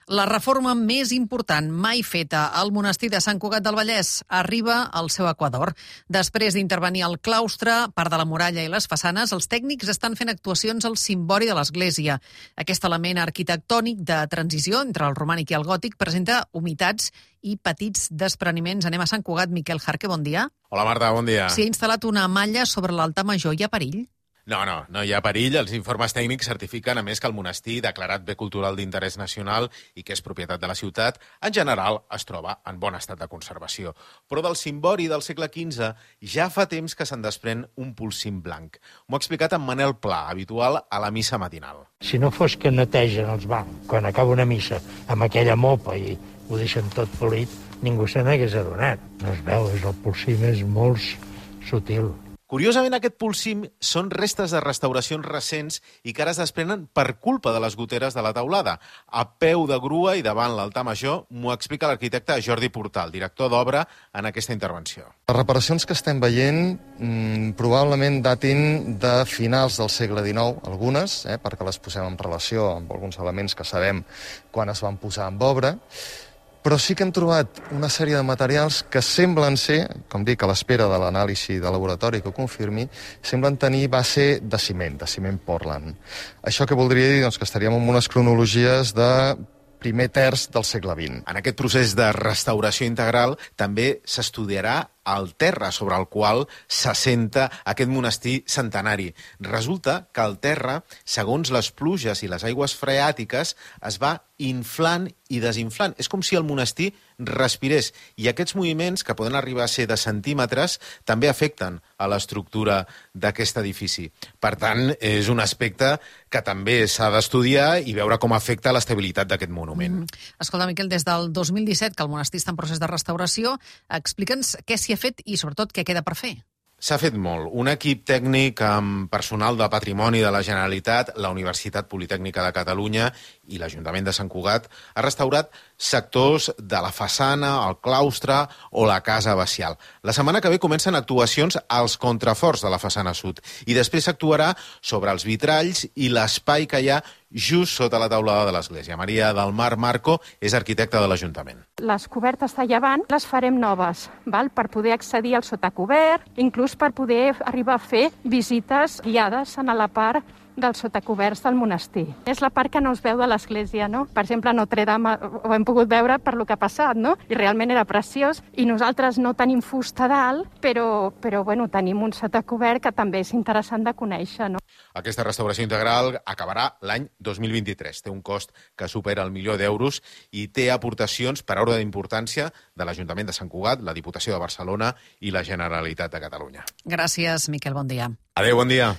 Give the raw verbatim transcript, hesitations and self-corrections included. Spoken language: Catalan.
La reforma més important mai feta al monestir de Sant Cugat del Vallès arriba al seu equador. Després d'intervenir al claustre, part de la muralla i les façanes, els tècnics estan fent actuacions al cimbori de l'església. Aquest element arquitectònic de transició entre el romànic i el gòtic presenta humitats i petits despreniments. Anem a Sant Cugat. Miquel Jarque, bon dia. Hola, Marta, bon dia. S'hi ha instal·lat una malla sobre l'altar major. Hi ha perill? No, no, no hi ha perill. Els informes tècnics certifiquen, a més, que el monestir, declarat bé cultural d'interès nacional i que és propietat de la ciutat, en general es troba en bon estat de conservació. Però del cimbori del segle quinze ja fa temps que se'n desprèn un polsim blanc. M'ho ha explicat en Manel Pla, habitual a la missa matinal. Si no fos que netegen els bancs quan acaba una missa amb aquella mopa i ho deixen tot polit, ningú se n'hagués adonat. No es veu, és el polsim és molt sutil. Curiosament, aquest polsim són restes de restauracions recents i que ara es desprenen per culpa de les goteres de la teulada. A peu de grua i davant l'altar major, m'ho explica l'arquitecte Jordi Portal, director d'obra, en aquesta intervenció. Les reparacions que estem veient mmm, probablement datin de finals del segle dinou, algunes, eh, perquè les posem en relació amb alguns elements que sabem quan es van posar en obra, però sí que hem trobat una sèrie de materials que semblen ser, com dic, a l'espera de l'anàlisi de laboratori que ho confirmi, semblen tenir base de ciment, de ciment Portland. Això que voldria dir doncs, que estaríem en unes cronologies de primer terç del segle vint. En aquest procés de restauració integral també s'estudiarà el terra sobre el qual s'assenta aquest monestir centenari. Resulta que el terra, segons les pluges i les aigües freàtiques, es va inflant i desinflant. És com si el monestir respirés. I aquests moviments, que poden arribar a ser de centímetres, també afecten a l'estructura d'aquest edifici. Per tant, és un aspecte que també s'ha d'estudiar i veure com afecta l'estabilitat d'aquest monument. Mm. Escolta, Miquel, des del dos mil disset, que el monestir està en procés de restauració, explica'ns què s'hi ha fet i, sobretot, què queda per fer. S'ha fet molt. Un equip tècnic amb personal de patrimoni de la Generalitat, la Universitat Politècnica de Catalunya i l'Ajuntament de Sant Cugat ha restaurat sectors de la façana, el claustre o la casa abacial. La setmana que ve comencen actuacions als contraforts de la façana sud i després s'actuarà sobre els vitralls i l'espai que hi ha just sota la teulada de l'església. Maria del Mar Marco és arquitecta de l'Ajuntament. Les cobertes de llevant les farem noves, val? Per poder accedir al sotacobert, inclús per poder arribar a fer visites guiades en la part dels sotacoberts del monestir. És la part que no es veu de l'església, no? Per exemple, a Notre Dame ho hem pogut veure per lo que ha passat, no? I realment era preciós. I nosaltres no tenim fusta dalt, però, però bueno, tenim un sotacobert que també és interessant de conèixer, no? Aquesta restauració integral acabarà l'any dos mil vint-i-tres. Té un cost que supera el milió d'euros i té aportacions per ordre d'importància de l'Ajuntament de Sant Cugat, la Diputació de Barcelona i la Generalitat de Catalunya. Gràcies, Miquel, bon dia. Adéu, bon dia.